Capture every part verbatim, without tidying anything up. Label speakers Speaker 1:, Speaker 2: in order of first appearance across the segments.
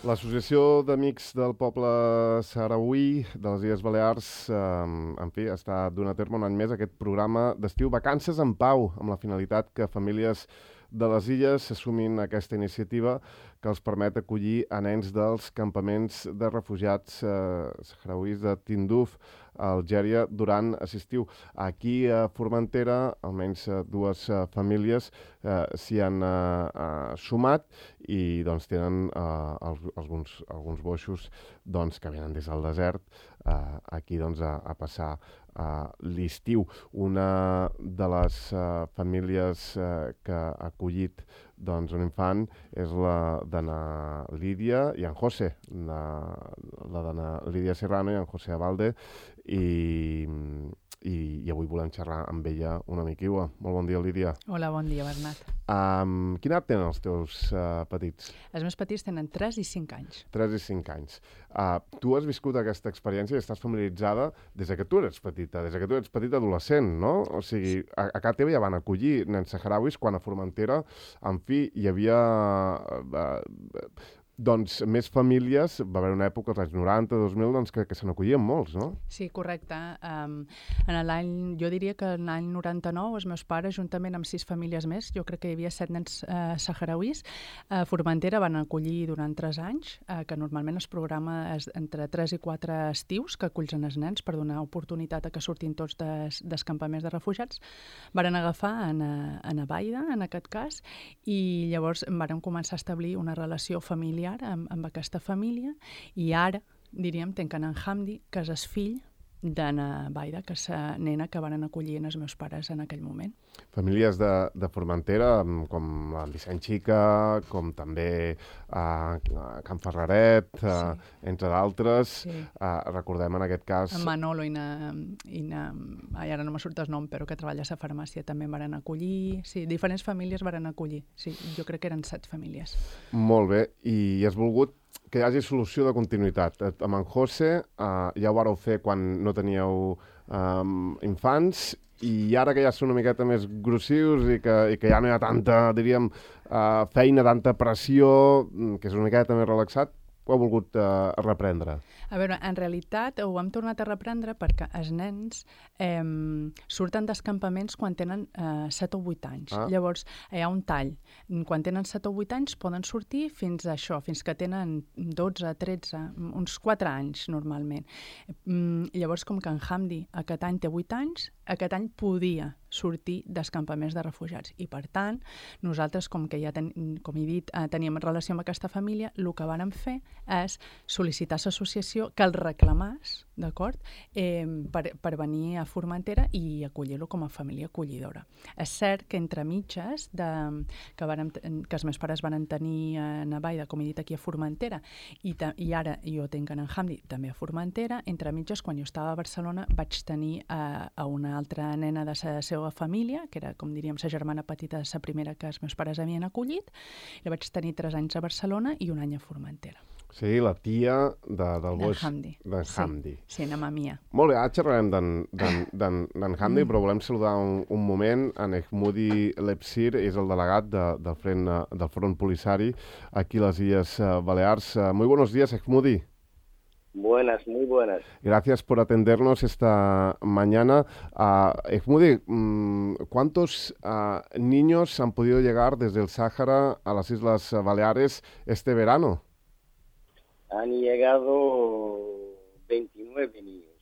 Speaker 1: L'Associació d'Amics del Poble Sahrauí de les Illes Balears, eh, en fi, està donant a terme un any més aquest programa d'estiu Vacances en Pau, amb la finalitat que famílies de les illes s'assumin a aquesta iniciativa que els permet acollir a nens dels campaments de refugiats eh, sahrauís de Tindouf, a Algèria, durant l'estiu. Aquí a Formentera, almenys eh, dues eh, famílies eh, s'hi han eh, eh, sumat i doncs tenen eh, alguns, alguns boixos doncs, que venen des del desert eh, aquí doncs, a, a passar Uh, l'estiu. Una de les uh, famílies uh, que ha acollit doncs, un infant és la d'Anna Lídia i en José, la, la d'Anna Lídia Serrano i en José Abalde, i, i, i avui volem xerrar amb ella una miquiua. Molt bon dia, Lídia.
Speaker 2: Hola, bon dia, Bernat.
Speaker 1: Um, quina edat tenen els teus uh, petits?
Speaker 2: Els meus petits tenen tres i cinc anys.
Speaker 1: tres i cinc anys. Uh, tu has viscut aquesta experiència i estàs familiaritzada des que tu eres petita, des que tu eres petita adolescent, no? O sigui, a, a casa teva ja van acollir nens sahrauis quan a Formentera, en fi, hi havia uh, doncs més famílies, va haver una època, als anys noranta, dos mil, doncs, que, que se n'acollien molts, no?
Speaker 2: Sí, correcte. Um, en l'any, jo diria que en l'any noranta-nou els meus pares, juntament amb sis famílies més, jo crec que hi havia set nens uh, sahrauís, a Formentera van acollir durant tres anys, uh, que normalment es programa es, entre tres i quatre estius que acullen els nens per donar oportunitat a que surtin tots des, dels campaments de refugiats. Varen agafar en, en Abaida, en aquest cas, i llavors varen començar a establir una relació familiar Amb, amb aquesta família, i ara, diríem, tenquen en Hamdi, que és el fill d'Anna Baida, que és la nena que van acollir els meus pares en aquell moment.
Speaker 1: Famílies de, de Formentera, com el Vicent Xica, com també uh, Can Ferraret, uh, sí. entre d'altres. Sí. Uh, recordem en aquest cas...
Speaker 2: En Manolo i, na, i na, ai, ara no me surt el nom, però que treballa a la farmàcia també van acollir. Sí, diferents famílies van acollir. Sí, jo crec que eren set famílies.
Speaker 1: Molt bé, i has volgut que hi hagi solució de continuïtat. Amb en José uh, ja ho vareu fer quan no teníeu um, infants, i ara que ja són una miqueta més grossius i que, i que ja no hi ha tanta, diríem, uh, feina, tanta pressió, que és una miqueta més relaxat, ho ha volgut uh, reprendre?
Speaker 2: A veure, en realitat ho hem tornat a reprendre perquè els nens eh, surten dels campaments quan tenen eh, set o vuit anys. Ah. Llavors, hi ha un tall. Quan tenen set o vuit anys poden sortir fins a això, fins que tenen dotze, tretze, uns quatre anys normalment. Mm, llavors, com que en Hamdi aquest any té vuit anys, aquest any podia sortir dels campaments de refugiats. I, per tant, nosaltres, com que ja ten, com he dit, eh, teníem relació amb aquesta família, el que vàrem fer és sol·licitar a l'associació que el reclamàs, d'acord, eh, per, per venir a Formentera i acollir-lo com a família acollidora. És cert que entre mitges, de, que, vàrem, que els meus pares van tenir a Navaida, com he dit, aquí a Formentera, i, ta, i ara jo tinc en Hamdi també a Formentera, entre mitges, quan jo estava a Barcelona, vaig tenir a, a una altra nena de la seva família, que era, com diríem, la germana petita de la primera que els meus pares havien acollit, i la vaig tenir tres anys a Barcelona i un any a Formentera.
Speaker 1: Sí, la tia de, del boix
Speaker 2: Hamdi.
Speaker 1: d'en Hamdi.
Speaker 2: Sí, sí, na mamia.
Speaker 1: Molt bé, ara xerrarem d'en Hamdi, mm. però volem saludar un, un moment en Ehmoudi Lepsir, és el delegat de, del, front, del Front Polisari aquí a les Illes Balears. Muy buenos días, Ehmoudi.
Speaker 3: Buenas, muy buenas.
Speaker 1: Gracias por atendernos esta mañana. Uh, Ehmoudi, um, ¿cuántos uh, niños han podido llegar desde el Sáhara a las Islas Baleares este verano?
Speaker 3: Han llegado veintinueve niños.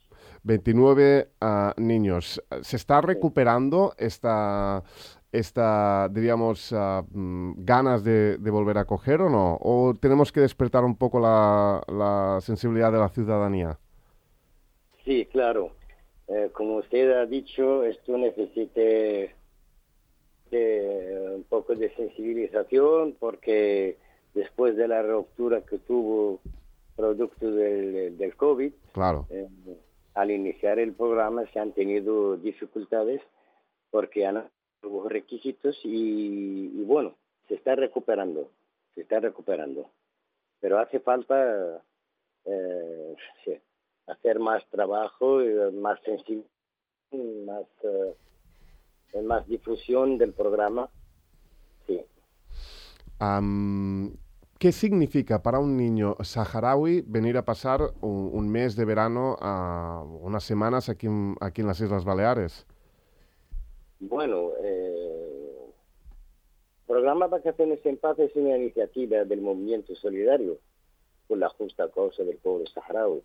Speaker 1: veintinueve uh, niños. ¿Se está recuperando esta, esta diríamos, uh, ganas de, de volver a coger o no? ¿O tenemos que despertar un poco la, la sensibilidad de la ciudadanía?
Speaker 3: Sí, claro. Eh, como usted ha dicho, esto necesita de un poco de sensibilización porque después de la ruptura que tuvo producto del, del COVID,
Speaker 1: claro.
Speaker 3: eh, al iniciar el programa se han tenido dificultades porque han los requisitos y, y bueno, se está recuperando, se está recuperando. Pero hace falta eh, sí, hacer más trabajo, más sensible, más, eh, más difusión del programa. Sí.
Speaker 1: Um, ¿Qué significa para un niño saharaui venir a pasar un, un mes de verano, a unas semanas aquí en, aquí en las Islas Baleares?
Speaker 3: Bueno, eh, Programa Vacaciones en Paz es una iniciativa del movimiento solidario por la justa causa del pueblo saharaui,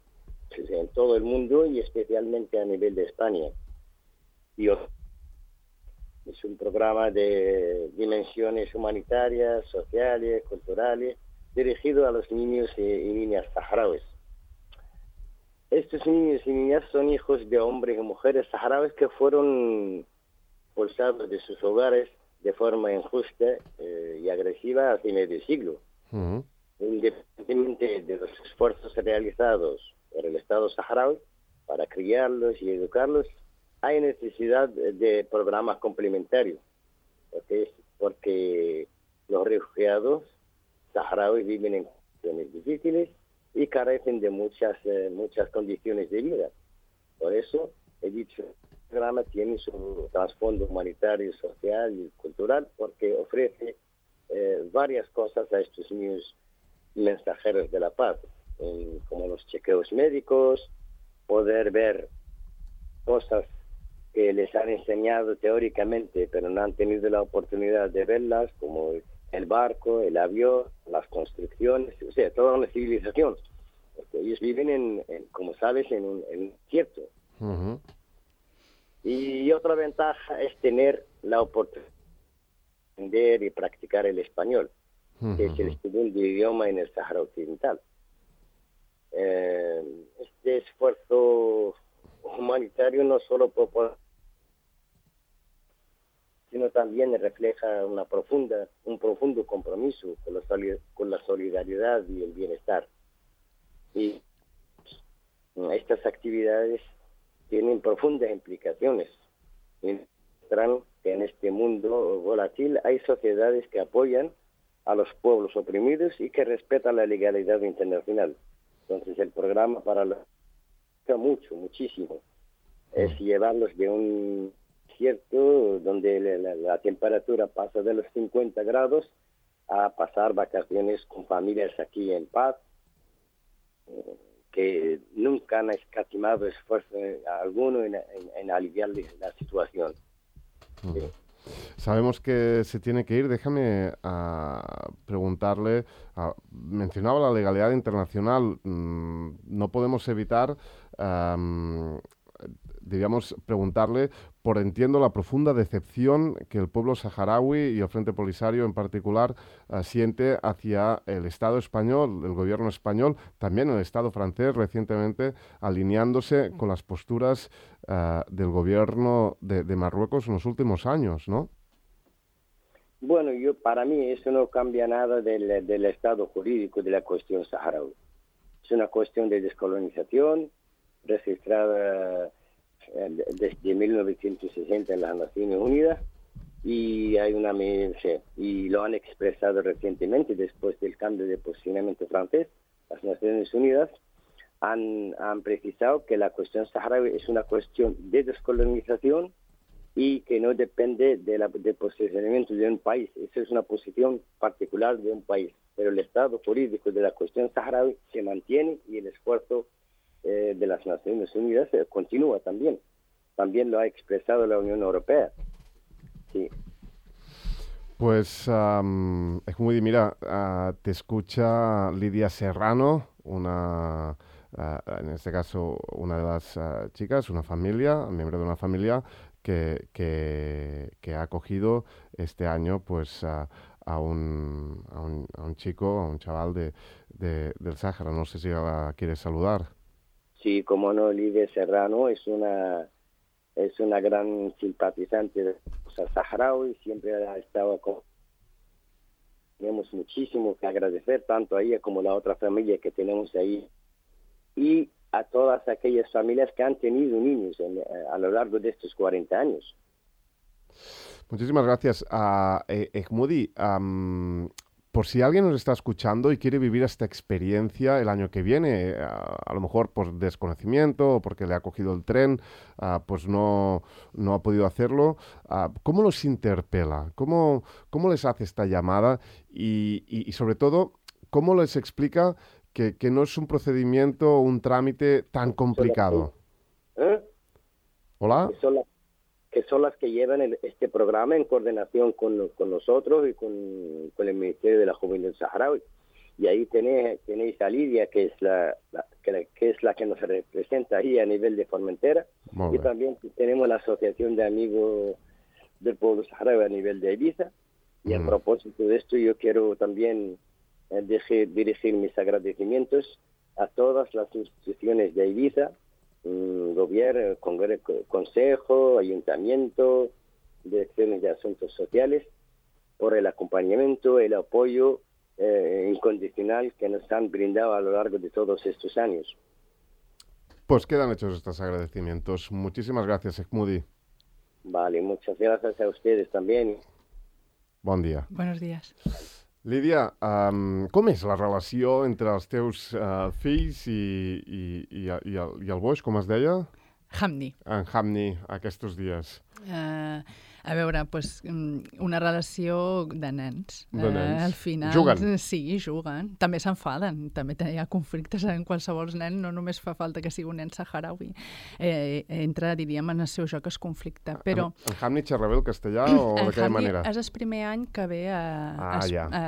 Speaker 3: en todo el mundo y especialmente a nivel de España. Y es un programa de dimensiones humanitarias, sociales, culturales, dirigido a los niños y, y niñas saharauis. Estos niños y niñas son hijos de hombres y mujeres saharauis que fueron expulsados de sus hogares de forma injusta eh, y agresiva hace medio siglo. Uh-huh. Independientemente de los esfuerzos realizados por el Estado saharaui para criarlos y educarlos, hay necesidad de programas complementarios, porque, porque los refugiados saharauis viven en condiciones difíciles y carecen de muchas, eh, muchas condiciones de vida. Por eso, he dicho, el programa tiene su trasfondo humanitario, social y cultural, porque ofrece eh, varias cosas a estos niños mensajeros de la paz, eh, como los chequeos médicos, poder ver cosas que les han enseñado teóricamente, pero no han tenido la oportunidad de verlas, como el barco, el avión, las construcciones, o sea, toda una civilización. Porque ellos viven, en, en como sabes, en un, en un desierto. Uh-huh. Y otra ventaja es tener la oportunidad de aprender y practicar el español, uh-huh. que es el segundo idioma en el Sahara Occidental. Eh, este esfuerzo humanitario no solo propone, sino también refleja una profunda, un profundo compromiso con la, con la solidaridad y el bienestar. Y estas actividades tienen profundas implicaciones. Muestran que en este mundo volátil hay sociedades que apoyan a los pueblos oprimidos y que respetan la legalidad internacional. Entonces el programa para la mucho, muchísimo, es llevarlos de un desierto donde la, la temperatura pasa de los cincuenta grados a pasar vacaciones con familias aquí en paz, que nunca han escatimado esfuerzo alguno en, en, en aliviarles la situación.
Speaker 1: Uh-huh. Sí. Sabemos que se tiene que ir. Déjame uh, preguntarle, uh, mencionaba la legalidad internacional. Mm, no podemos evitar, um, digamos, preguntarle por, entiendo, la profunda decepción que el pueblo saharaui y el Frente Polisario en particular uh, siente hacia el Estado español, el gobierno español, también el Estado francés recientemente alineándose con las posturas uh, del gobierno de, de Marruecos en los últimos años, ¿no?
Speaker 3: Bueno, yo para mí eso no cambia nada del, del estado jurídico de la cuestión saharaui. Es una cuestión de descolonización registrada desde mil novecientos sesenta en las Naciones Unidas y hay una y lo han expresado recientemente después del cambio de posicionamiento francés. Las Naciones Unidas han, han precisado que la cuestión saharaui es una cuestión de descolonización y que no depende de la, del posicionamiento de un país. Esa es una posición particular de un país. Pero el estado jurídico de la cuestión saharaui se mantiene y el esfuerzo eh, de las Naciones Unidas eh, continúa también. También lo ha expresado la Unión Europea. Sí.
Speaker 1: Pues, um, Ejmudi, mira, uh, te escucha Lidia Serrano, una, uh, en este caso, una de las uh, chicas, una familia, miembro de una familia, Que, que, que ha acogido este año pues a, a, un, a, un, a un chico, a un chaval de, de, del Sáhara. No sé si la quieres saludar.
Speaker 3: Sí, como no, Lidia Serrano es una es una gran simpatizante de los saharaui, siempre ha estado con... Tenemos muchísimo que agradecer, tanto a ella como a la otra familia que tenemos ahí. Y a todas aquellas familias que han tenido niños en, a lo largo de estos cuarenta años.
Speaker 1: Muchísimas gracias. Uh, eh, Ejmudi, um, por si alguien nos está escuchando y quiere vivir esta experiencia el año que viene, uh, a lo mejor por desconocimiento o porque le ha cogido el tren, uh, pues no, no ha podido hacerlo, uh, ¿cómo los interpela? ¿Cómo, cómo les hace esta llamada? Y, y, y sobre todo, ¿cómo les explica que, que no es un procedimiento o un trámite tan complicado?
Speaker 3: ¿Eh?
Speaker 1: ¿Hola?
Speaker 3: Que son, las, que son las que llevan el, este programa en coordinación con, con nosotros y con, con el Ministerio de la Juventud Saharaui. Y ahí tenéis, tenéis a Lidia, que es la, la, que, que es la que nos representa ahí a nivel de Formentera. Y también tenemos la Asociación de Amigos del Pueblo Saharaui a nivel de Ibiza. Y mm. a propósito de esto, yo quiero también eh, deje, dirigir mis agradecimientos a todas las instituciones de Ibiza, mmm, gobierno, congreso, consejo, ayuntamiento, direcciones de asuntos sociales, por el acompañamiento, el apoyo Eh, incondicional que nos han brindado a lo largo de todos estos años.
Speaker 1: Pues quedan hechos estos agradecimientos. Muchísimas gracias, Ekmudi.
Speaker 3: Vale, muchas gracias a ustedes también.
Speaker 1: Bon dia.
Speaker 2: Buenos días.
Speaker 1: Lídia, um, com és la relació entre els teus uh, fills i, i, i, i, el, i el boix, com es deia?
Speaker 2: Hamdi.
Speaker 1: En Hamdi, aquests dies.
Speaker 2: Uh, a veure, pues, una relació de nens.
Speaker 1: De nens.
Speaker 2: Uh, al final,
Speaker 1: juguen.
Speaker 2: Sí, juguen. També s'enfaden. També hi ha conflictes en qualsevol nen. No només fa falta que sigui un nen saharaui. Eh, entra, diríem, en el seu joc es conflicte. Però...
Speaker 1: En, en Hamdi xerra bé el castellà o d'aquella manera?
Speaker 2: És el primer any que ve a...
Speaker 1: Ah, a, ja.
Speaker 2: A,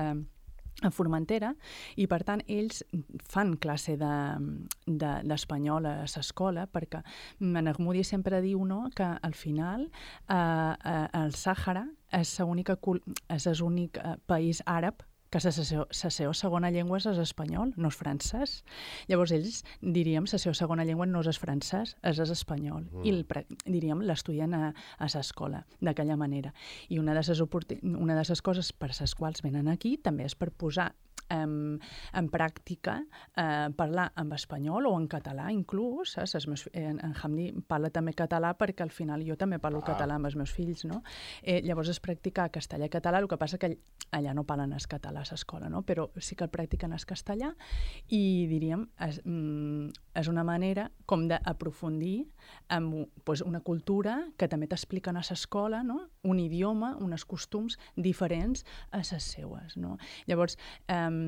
Speaker 2: a Formentera, i per tant ells fan classe d'espanyol de, de, a l'escola, perquè en Ekmudi sempre diu, no?, que al final eh, eh, el Sàhara és l'únic país àrab que la seva segona llengua és l'espanyol, no és francès. Llavors ells, diríem, la seva segona llengua no és el francès, és l'espanyol. Mm. I, el, diríem, l'estudien a, a l'escola, d'aquella manera. I una de les, una de les coses per les quals venen aquí també és per posar en, en pràctica eh, parlar en espanyol o en català inclús. Eh? Meus, en, en Hamdi parla també català perquè al final jo també parlo ah. català amb els meus fills, no? Eh, llavors es practica castellà i català, el que passa que allà no parlen el català a l'escola, no? Però sí que el practiquen el castellà i diríem, és, mm, és una manera com d'aprofundir en pues, una cultura que també t'expliquen a l'escola, no? Un idioma, uns costums diferents a les seues, no? Llavors, eh,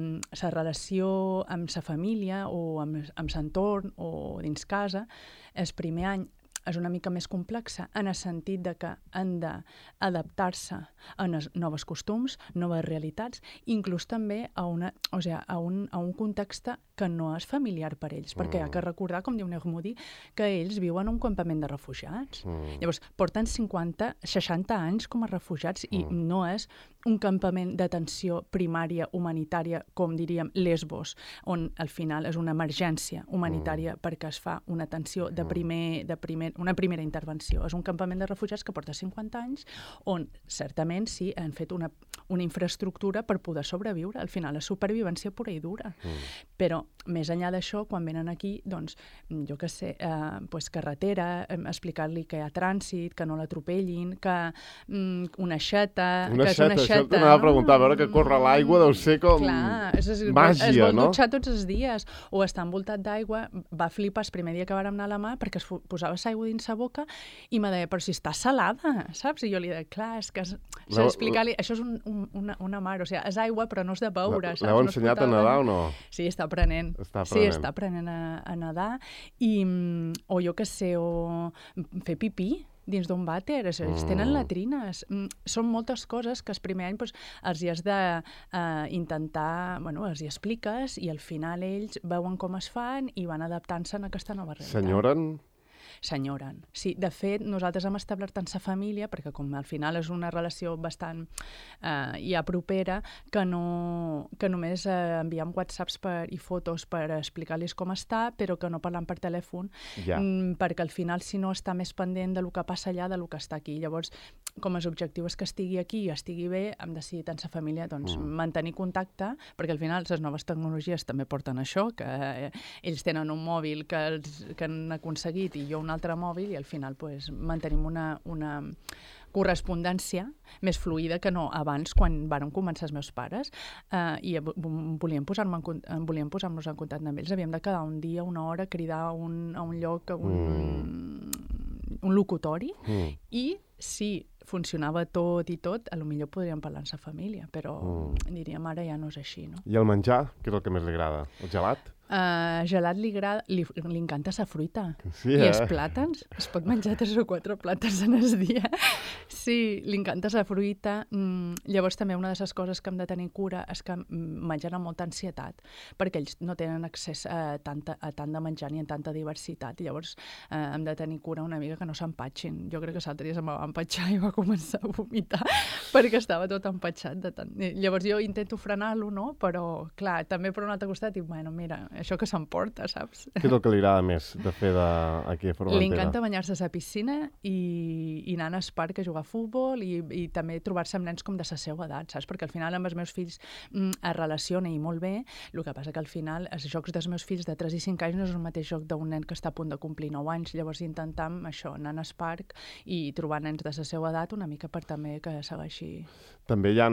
Speaker 2: la relació amb la família o amb, amb l'entorn o dins casa, el primer any és una mica més complexa en el sentit de que han d'adaptar-se a nous costums, noves realitats, inclús també a, una, o sigui, a, un, a un context que no és familiar per ells, mm. perquè hi ha que recordar, com diu Ekmudi, que ells viuen en un campament de refugiats. Mm. Llavors, porten cinquanta, seixanta anys com a refugiats i mm. no és un campament d'atenció primària humanitària, com diríem Lesbos, on al final és una emergència humanitària mm. perquè es fa una atenció de primer, de primer, una primera intervenció. És un campament de refugiats que porta cinquanta anys, on certament sí han fet una, una infraestructura per poder sobreviure. Al final és supervivència pura i dura. Mm. Però més enllà d'això, quan venen aquí, doncs, jo què sé, eh, pues carretera, eh, explicar-li que hi ha trànsit, que no l'atropellin, que mm, una xeta...
Speaker 1: Una
Speaker 2: que
Speaker 1: xeta,
Speaker 2: és una
Speaker 1: xeta, això t'anava a preguntar, a veure que corre l'aigua deu ser com
Speaker 2: clar, és, és,
Speaker 1: màgia,
Speaker 2: es vol
Speaker 1: no?
Speaker 2: dutxar tots els dies, o està envoltat d'aigua. Va flipar el primer dia que vàrem anar a la mà perquè es posava l'aigua dins la boca i me deia, però si està salada, saps? I jo li deia, clar, és que s'ha d'explicar-li, això és un, un, una, una mar, o sigui, és aigua però no és de beure, saps?
Speaker 1: L'heu ensenyat a nedar o no?
Speaker 2: Sí, està aprenent.
Speaker 1: Està aprenent.
Speaker 2: Sí, està aprenent a, a nedar, i, o jo què sé, o fer pipí dins d'un vàter, ells mm. tenen latrines. Són moltes coses que el primer any doncs, els hi has d'intentar, uh, bueno, els hi expliques i al final ells veuen com es fan i van adaptant-se a aquesta nova realitat.
Speaker 1: S'enyoren?
Speaker 2: S'enyoren. Sí, de fet, nosaltres hem establert en sa família, perquè com al final és una relació bastant eh, ja propera, que, no, que només eh, enviem whatsapps per, i fotos per explicar-los com està, però que no parlem per telèfon,
Speaker 1: ja.
Speaker 2: mm, perquè al final, si no, està més pendent del que passa allà, del que està aquí. Llavors, com els objectius és que estigui aquí i estigui bé, hem decidit en sa família doncs, mm. mantenir contacte, perquè al final les noves tecnologies també porten això, que eh, ells tenen un mòbil que, els, que han aconseguit i jo un altre mòbil i al final pues, mantenim una, una correspondència més fluida que no abans quan varen començar els meus pares eh, i volíem posar-nos en, volíem posar-nos en contacte amb ells. Havíem de quedar un dia, una hora, cridar a un, a un lloc, a un, mm. un locutori mm. i si funcionava tot i tot, a lo millor podríem parlar en sa família, però mm. diríem ara ja no és així, no?
Speaker 1: I el menjar, què és el que més li agrada? El gelat?
Speaker 2: Uh, gelat li, agrada, li, li encanta sa fruita.
Speaker 1: Sí, eh?
Speaker 2: I els plàtans, es pot menjar tres o quatre plàtans en el dia. Sí, li encanta sa fruita. Mm, llavors també una de les coses que hem de tenir cura és que mengen amb molta ansietat, perquè ells no tenen accés a, tanta, a tant de menjar ni a tanta diversitat. Llavors eh, hem de tenir cura una mica que no s'empatxin. Jo crec que l'altre dia se'm va empatxar i va començar a vomitar perquè estava tot empatxat de tant. Llavors jo intento frenar-lo, no? Però, clar, també per un altre costat dic, bueno, mira, això que s'emporta, saps?
Speaker 1: Què és el que li agrada més de fer de, aquí a Formentera?
Speaker 2: Li encanta banyar-se a la piscina i, i anar al parc a jugar a futbol i, i també trobar-se amb nens com de la seva edat, saps? Perquè al final amb els meus fills mm, es relaciona i molt bé, el que passa que al final els jocs dels meus fills de tres i cinc anys no és el mateix joc d'un nen que està a punt de complir nou anys, llavors intentam això, anar al parc i trobar nens de la seva edat una mica per també que segueixi.
Speaker 1: També hi ha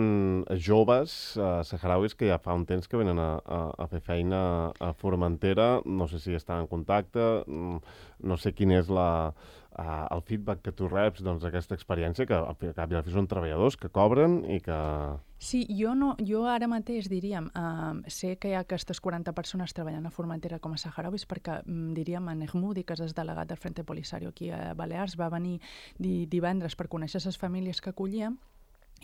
Speaker 1: joves eh, saharauis que ja fa un temps que venen a, a, a fer feina a Formentera, no sé si estan en contacte, no sé quin és la, uh, el feedback que tu reps doncs, d'aquesta experiència, que al cap i a la fi són treballadors que cobren i que...
Speaker 2: Sí, jo, no, jo ara mateix, diríem, uh, sé que hi ha aquestes quaranta persones treballant a Formentera com a saharauis perquè, um, diríem, en Ehmoudi, que és el delegat del Frente Polisario aquí a Balears, va venir di divendres per conèixer les famílies que acollíem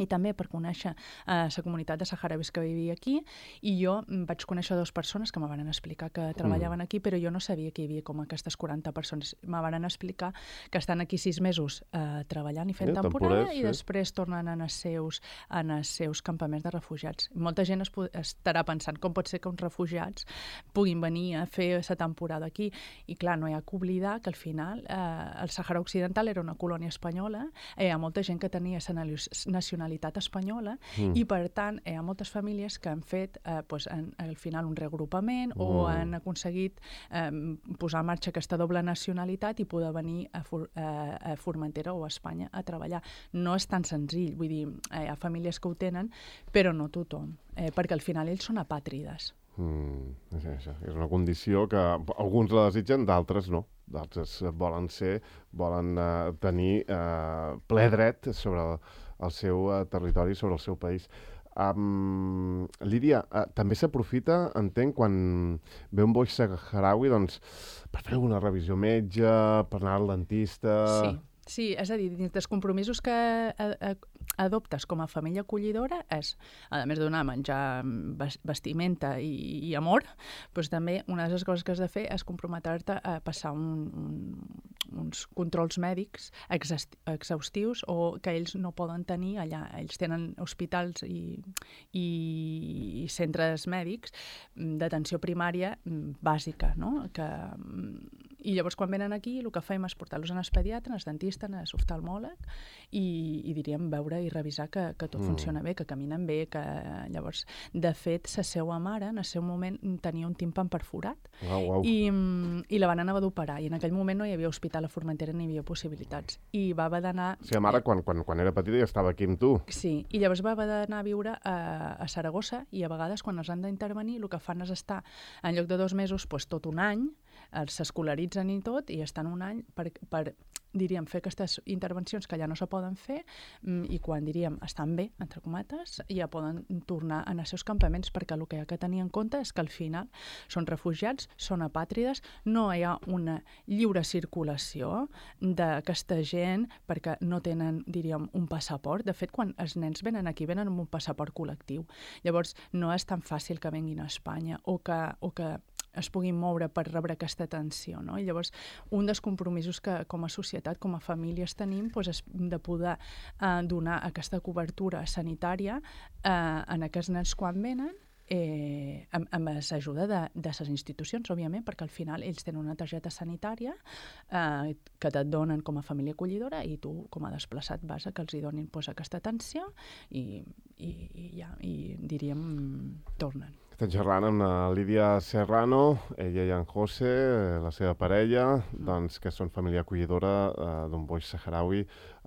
Speaker 2: i també per conèixer la uh, comunitat de saharauis que vivia aquí, i jo vaig conèixer dues persones que me van explicar que treballaven aquí, però jo no sabia que hi havia com aquestes quaranta persones. Me van explicar que estan aquí sis mesos uh, treballant i fent
Speaker 1: sí,
Speaker 2: temporada
Speaker 1: sí.
Speaker 2: i després tornen en els seus, en els seus campaments de refugiats. Molta gent es estarà pensant com pot ser que uns refugiats puguin venir a fer la temporada aquí, i clar, no hi ha que oblidar que al final uh, el Sàhara Occidental era una colònia espanyola, hi ha molta gent que tenia nacionalitat espanyola, mm. i per tant hi ha moltes famílies que han fet eh, pues, en, al final un reagrupament mm. o han aconseguit eh, posar en marxa aquesta doble nacionalitat i poder venir a, For a, a Formentera o a Espanya a treballar. No és tan senzill, vull dir, eh, hi ha famílies que ho tenen, però no tothom, eh, perquè al final ells són apàtrides.
Speaker 1: Mm, és, això. És una condició que alguns la desitgen, d'altres no. D'altres volen ser, volen uh, tenir uh, ple dret sobre el, el seu uh, territori, sobre el seu país. Um, Lídia, uh, també s'aprofita, entenc, quan ve un boix saharaui, doncs, per fer alguna revisió metge, per anar al dentista...
Speaker 2: Sí. Sí, és a dir, dins dels compromisos que adoptes com a família acollidora és, a més de donar menjar, vestimenta i, i amor, doncs també una de les coses que has de fer és comprometre-te a passar un, un, uns controls mèdics exhaustius o que ells no poden tenir allà. Ells tenen hospitals i, i, i centres mèdics d'atenció primària bàsica, no? Que, i llavors quan venen aquí el que fem és portar-los en el pediatre, en el dentista, en l'oftalmòleg i, i diríem veure i revisar que, que tot mm. funciona bé, que caminen bé, que llavors, de fet, la seva mare en el seu moment tenia un timpan perforat
Speaker 1: wow, wow.
Speaker 2: I, i la van anar a d'operar i en aquell moment no hi havia hospital a Formentera ni hi havia possibilitats i va haver d'anar...
Speaker 1: O sigui, la mare quan, quan, quan era petita ja estava aquí amb tu.
Speaker 2: Sí, i llavors va haver d'anar a viure a, a Saragossa i a vegades quan els han d'intervenir el que fan és estar en lloc de dos mesos doncs, tot un any, s'escolaritzen i tot i estan un any per, per diríem, fer aquestes intervencions que ja no se poden fer i quan, diríem, estan bé, entre comates, ja poden tornar a els seus campaments perquè el que hi ha que tenir en compte és que al final són refugiats, són apàtrides, no hi ha una lliure circulació d'aquesta gent perquè no tenen, diríem, un passaport. De fet, quan els nens venen aquí, venen amb un passaport col·lectiu. Llavors, no és tan fàcil que venguin a Espanya o que, o que es puguin moure per rebre aquesta atenció, no? I llavors, un dels compromisos que com a societat, com a famílies tenim, doncs, és de poder eh, donar aquesta cobertura sanitària eh, en aquests nens quan venen, eh, amb, amb l'ajuda de, de les institucions, òbviament, perquè al final ells tenen una targeta sanitària eh, que et donen com a família acollidora i tu, com a desplaçat, vas a que els hi donin doncs, aquesta atenció i, i, i, ja, i diríem, tornen.
Speaker 1: Estem xerrant amb la Lídia Serrano, ella i en José, la seva parella, doncs, que són família acollidora eh, d'un boix saharaui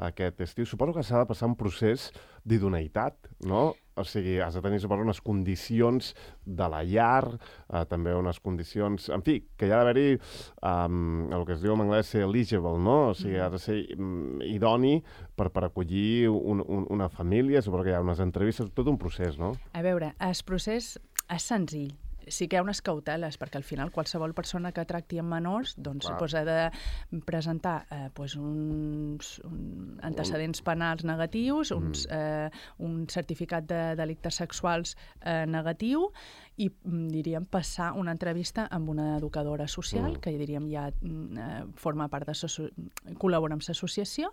Speaker 1: aquest estiu. Suposo que s'ha de passar un procés d'idoneïtat, no? o sigui, has de tenir, suposo, unes condicions de la llar, eh, també unes condicions... En fi, que hi ha d'haver-hi um, el que es diu en anglès ser eligible, no? O sigui, ha de ser um, idoni per, per acollir un, un, una família, suposo que hi ha unes entrevistes, tot un procés, no?
Speaker 2: A veure, el procés és senzill. Sí que hi ha unes cauteles, perquè al final qualsevol persona que tracti amb menors doncs, pues, ha de presentar eh, pues, uns un antecedents penals negatius, uns, eh, un certificat de delictes sexuals eh, negatiu i, diríem, passar una entrevista amb una educadora social, mm. que, diríem, ja eh, forma part de... col·labora amb l'associació,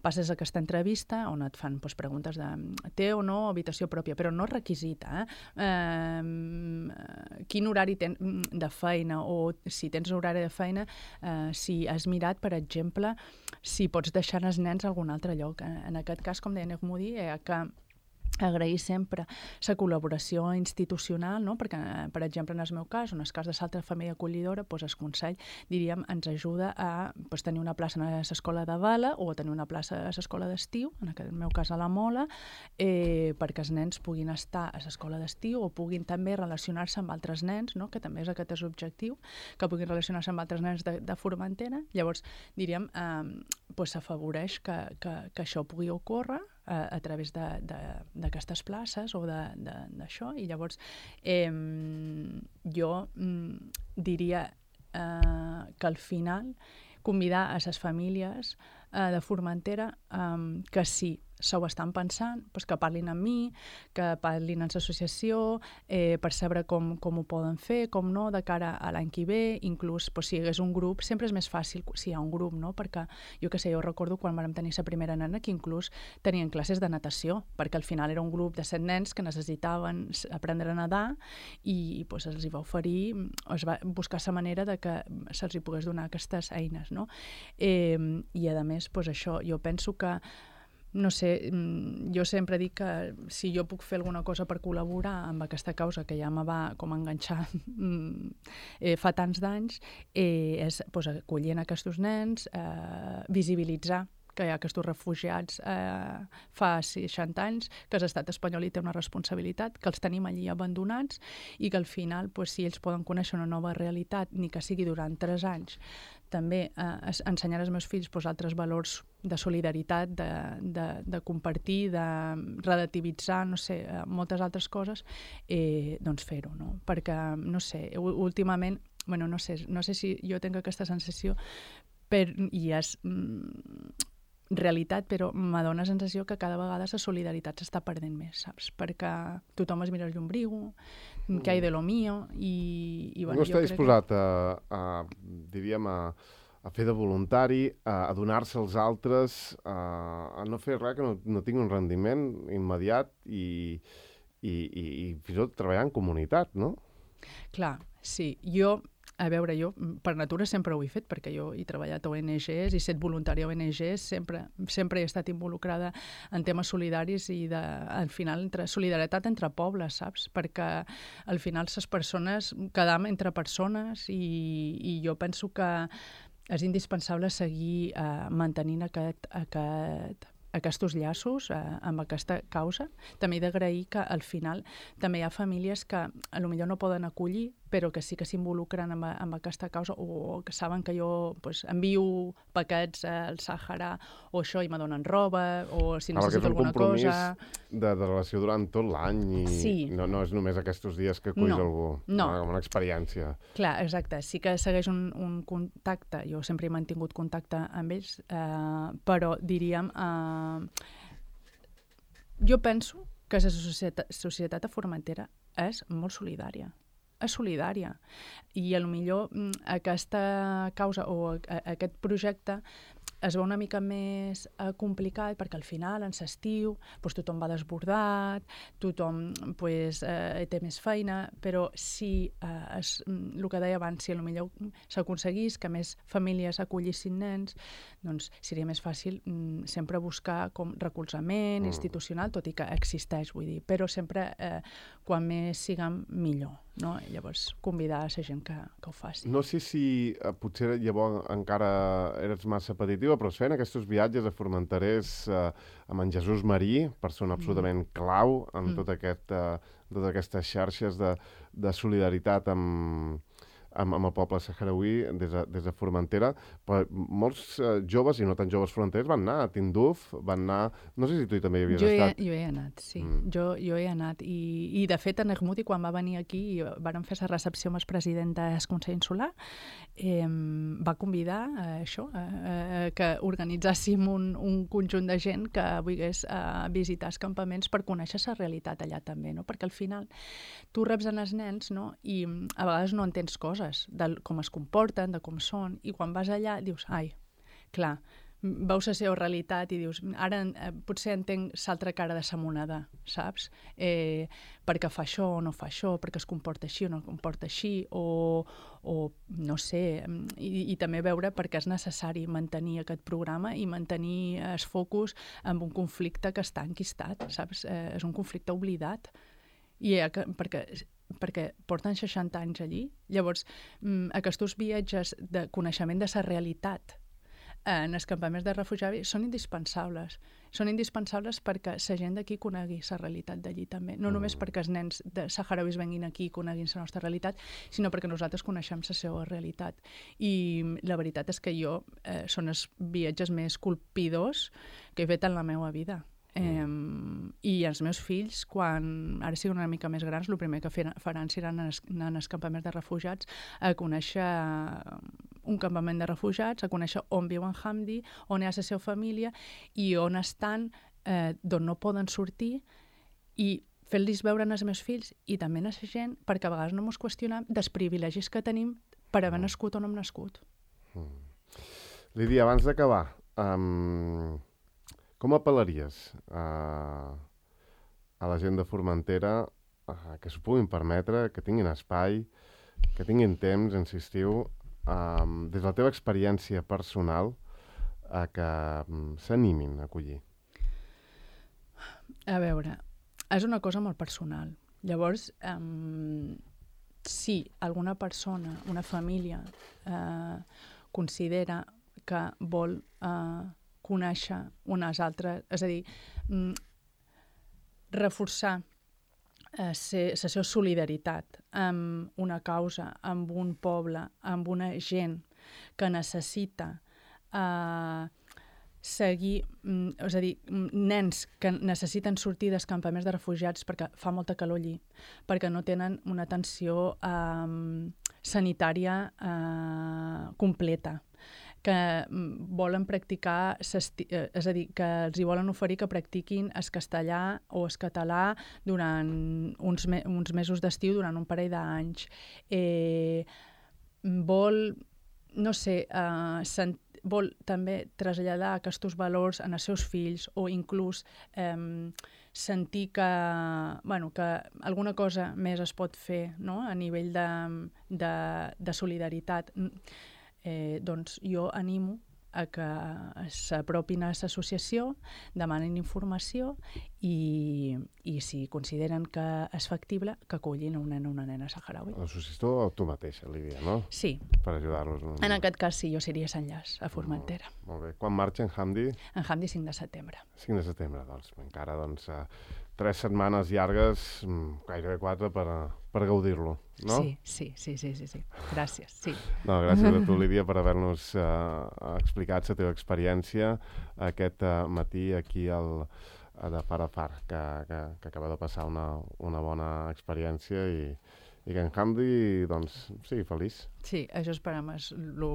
Speaker 2: passes aquesta entrevista on et fan pues, preguntes de té o no habitació pròpia, però no requisita, eh? eh quin horari tens de feina o si tens horari de feina, eh, si has mirat, per exemple, si pots deixar els nens a algun altre lloc. En aquest cas, com deia Nehmoudi, eh, que agrair sempre la col·laboració institucional, no? Perquè, per exemple, en el meu cas, en el cas de l'altra família acollidora, doncs el Consell, diríem, ens ajuda a doncs, tenir una plaça a l'escola de Bala o a tenir una plaça a l'escola d'estiu, en el meu cas a la Mola, eh, perquè els nens puguin estar a l'escola d'estiu o puguin també relacionar-se amb altres nens, no? Que també és aquest és l'objectiu, que puguin relacionar-se amb altres nens de, de Formentera. Llavors, diríem, eh, doncs s'afavoreix que, que, que això pugui ocórrer a, a través d'aquestes places o d'això, i llavors eh, jo mm, diria eh, que al final convidar a les famílies eh, de Formentera eh, que sí, se ho estan pensant, doncs que parlin amb mi, que parlin amb l'associació, eh, per saber com, com ho poden fer, com no, de cara a l'any que ve, inclús doncs, si hi hagués un grup, sempre és més fàcil si hi ha un grup, no? Perquè jo què sé, jo recordo quan vam tenir la primera nena que inclús tenien classes de natació, perquè al final era un grup de set nens que necessitaven aprendre a nedar i doncs, els hi va oferir, es va buscar la manera de que se'ls hi pogués donar aquestes eines, no? Eh, I a més, doncs això, jo penso que no sé, jo sempre dic que si jo puc fer alguna cosa per col·laborar amb aquesta causa que ja me va com enganxar eh, fa tants d'anys, eh, és pues, acollint aquests nens, eh, visibilitzar que hi ha aquests refugiats eh, fa seixanta anys, que l'estat espanyol hi té una responsabilitat, que els tenim allí abandonats i que al final, pues, si ells poden conèixer una nova realitat, ni que sigui durant tres anys, també eh, ensenyar als meus fills pues, altres valors de solidaritat, de, de, de compartir, de relativitzar, no sé, moltes altres coses, eh, doncs fer-ho, no? Perquè, no sé, últimament, bueno, no sé, no sé si jo tinc aquesta sensació, per, i és mm, realitat, però m'adona la sensació que cada vegada la solidaritat s'està perdent més, saps? Perquè tothom es mira el llombrigo, mm. que hi de lo mío, i... i bueno,
Speaker 1: no està disposat que... a, a, diríem, a, a fer de voluntari, a, a donar-se als altres, a, a no fer res que no, no tingui un rendiment immediat i, i, i, i fins i tot treballar en comunitat, no?
Speaker 2: Clar, sí. Jo... A veure, jo per natura sempre ho he fet, perquè jo he treballat a O N Ges, he estat voluntària a O N Ges, sempre, sempre he estat involucrada en temes solidaris i de, al final entre solidaritat entre pobles, saps? Perquè al final les persones quedam entre persones i, i jo penso que és indispensable seguir eh, mantenint aquest, aquest aquests llaços eh, amb aquesta causa. També he d'agrair que al final també hi ha famílies que potser no poden acollir, però que sí que s'involucren amb, amb aquesta causa o que saben que jo pues, envio paquets al Sàhara o això i me donen roba o si necessito alguna cosa...
Speaker 1: Perquè és un compromís de, de relació durant tot l'any i
Speaker 2: sí.
Speaker 1: no, no és només aquests dies que aculls
Speaker 2: no,
Speaker 1: algú,
Speaker 2: no.
Speaker 1: Com una experiència.
Speaker 2: Clar, exacte. Sí que segueix un, un contacte, jo sempre he mantingut contacte amb ells, eh, però diríem... Eh, jo penso que la societat, societat a Formentera és molt solidària. És solidària. I potser aquesta causa o aquest projecte es veu una mica més eh, complicat perquè al final, en l'estiu, pues, tothom va desbordat, tothom pues, eh, té més feina, però si, eh, es, el que deia abans, si potser s'aconseguís que més famílies acollissin nens, doncs seria més fàcil mm, sempre buscar com recolzament mm. institucional, tot i que existeix, vull dir, però sempre eh, quan més siguem millor. no? Llavors, convidar a la gent que, que ho faci.
Speaker 1: No sé si eh, potser llavors encara eres massa petitiva, però es feien aquests viatges a Formenterers eh, amb en Jesús Marí, persona absolutament mm. clau en mm. tot aquest, eh, totes aquestes xarxes de, de solidaritat amb... Amb, amb el poble saharauí des de, des de Formentera, però molts eh, joves, i no tan joves formenterers, van anar a Tinduf, van anar... No sé si tu hi també hi havies
Speaker 2: jo
Speaker 1: estat.
Speaker 2: He, jo he anat, sí. Mm. Jo, jo he anat. I, i de fet, en Ermuti, quan va venir aquí i vàrem fer la recepció amb el president del Consell Insular, eh, va convidar a això, a, a, que organitzàssim un, un conjunt de gent que volgués a visitar els campaments per conèixer la realitat allà també, no? Perquè al final tu reps en els nens, no? I a vegades no entens coses, de com es comporten, de com són, i quan vas allà dius, ai, clar, veus la seva realitat i dius, ara eh, potser entenc l'altra cara de la moneda, saps? Eh, perquè fa això o no fa això, perquè es comporta així o no es comporta així, o, o no sé, i, i també veure perquè és necessari mantenir aquest programa i mantenir el focus en un conflicte que està enquistat, saps? Eh, és un conflicte oblidat. I eh, que, perquè perquè porten seixanta anys allí. Llavors, aquests viatges de coneixement de la realitat en els campaments de refugiats són indispensables. Són indispensables perquè la gent d'aquí conegui la realitat d'allí també. No només perquè els nens de saharauis venguin aquí i coneguin la nostra realitat, sinó perquè nosaltres coneixem la seva realitat. I la veritat és que jo eh, són els viatges més colpidors que he fet en la meva vida. Eh, i els meus fills, quan ara siguin una mica més grans, el primer que faran serà anar als campaments de refugiats a conèixer un campament de refugiats, a conèixer on viu en Hamdi, on hi ha la seva família i on estan, eh, d'on no poden sortir, i fer-los veure als meus fills i també a la gent, perquè a vegades no ens qüestionem dels privilegis que tenim per haver nascut on hem nascut.
Speaker 1: Mm. Lídia, abans d'acabar, um... com apel·laries a, a la gent de Formentera a, que s'ho puguin permetre, que tinguin espai, que tinguin temps, insistiu, um, des de la teva experiència personal, a que um, s'animin a acollir?
Speaker 2: A veure, és una cosa molt personal. Llavors, um, si alguna persona, una família, uh, considera que vol... Uh, conèixer unes altres, és a dir, mm, reforçar eh, la seva solidaritat amb una causa, amb un poble, amb una gent que necessita eh, seguir, mm, és a dir, nens que necessiten sortir dels campaments de refugiats perquè fa molta calor allí, perquè no tenen una atenció eh, sanitària eh, completa, que volen practicar, és a dir, que els hi volen oferir que practiquin el castellà o el català durant uns, me uns mesos d'estiu, durant un parell d'anys. Eh, vol, no sé, eh, vol també traslladar aquests valors en els seus fills o inclús eh, sentir que, bueno, que alguna cosa més es pot fer, no?, a nivell de, de, de solidaritat. Eh, doncs jo animo a que s'apropin a l'associació, demanin informació i, i si consideren que és factible, que acullin un nen o una nena saharaui.
Speaker 1: L'associació o tu mateixa, Lídia, no?
Speaker 2: Sí.
Speaker 1: Per ajudar-los. No?
Speaker 2: En aquest cas sí, jo seria s'enllaç a Formentera.
Speaker 1: Molt, molt bé. Quan marxa en Hamdi?
Speaker 2: En Hamdi cinc de setembre.
Speaker 1: cinc de setembre, doncs encara doncs, uh, tres setmanes llargues, gairebé quatre, per, per gaudir-lo, no?
Speaker 2: Sí, sí, sí, sí, sí, sí. Gràcies, sí.
Speaker 1: No, gràcies a tu, Lídia, per haver-nos uh, explicat la teva experiència aquest uh, matí aquí al, de Far a Far, que, que, que acaba de passar una, una bona experiència i, i que en Hamdi, doncs, sigui feliç.
Speaker 2: Sí, això esperem, és, lo,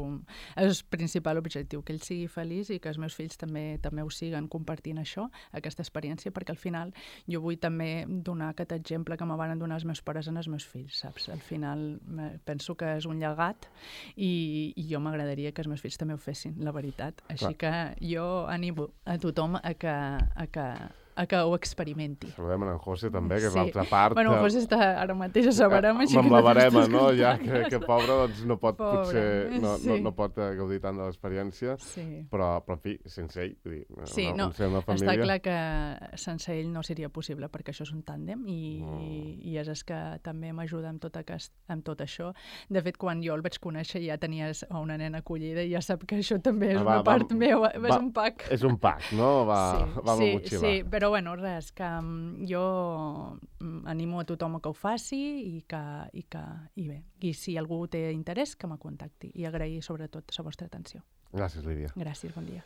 Speaker 2: és el principal objectiu, que ell sigui feliç i que els meus fills també també ho siguen compartint això, aquesta experiència, perquè al final jo vull també donar aquest exemple que me van donar els meus pares en els meus fills, saps? Al final penso que és un llegat i, i jo m'agradaria que els meus fills també ho fessin, la veritat. Així Clar. que jo animo a tothom a que, a que a que ho experimenti.
Speaker 1: Saludem en José també, que és
Speaker 2: Sí.
Speaker 1: l'altra part.
Speaker 2: Bueno, José està ara mateix a Sabarama, així
Speaker 1: Amb
Speaker 2: que
Speaker 1: la
Speaker 2: no
Speaker 1: barema,
Speaker 2: t'estàs
Speaker 1: no? Ja,
Speaker 2: content.
Speaker 1: que, que pobre doncs, no pot,
Speaker 2: Pobre,
Speaker 1: potser, no,
Speaker 2: sí.
Speaker 1: no, no pot eh, gaudir tant de l'experiència,
Speaker 2: Sí.
Speaker 1: però, però, en fi, sense ell, vull dir,
Speaker 2: Sí,
Speaker 1: una,
Speaker 2: no,
Speaker 1: una, una família...
Speaker 2: està clar que sense ell no seria possible, perquè això és un tàndem i,
Speaker 1: Mm.
Speaker 2: i és el que també m'ajuda amb, tot aquest, amb tot això. De fet, quan jo el vaig conèixer ja tenies una nena acollida i ja sap que això també és
Speaker 1: Ah, va,
Speaker 2: una part
Speaker 1: va,
Speaker 2: meva,
Speaker 1: va,
Speaker 2: és un pack.
Speaker 1: És un pack, no? Va,
Speaker 2: Sí,
Speaker 1: va amb
Speaker 2: sí,
Speaker 1: la motxilla.
Speaker 2: sí, però bueno, res, que um, jo um, animo a tothom a que ho faci i que, i que, i bé, i si algú té interès, que me contacti i agrair sobretot la vostra atenció.
Speaker 1: Gràcies, Lídia.
Speaker 2: Gràcies, bon dia.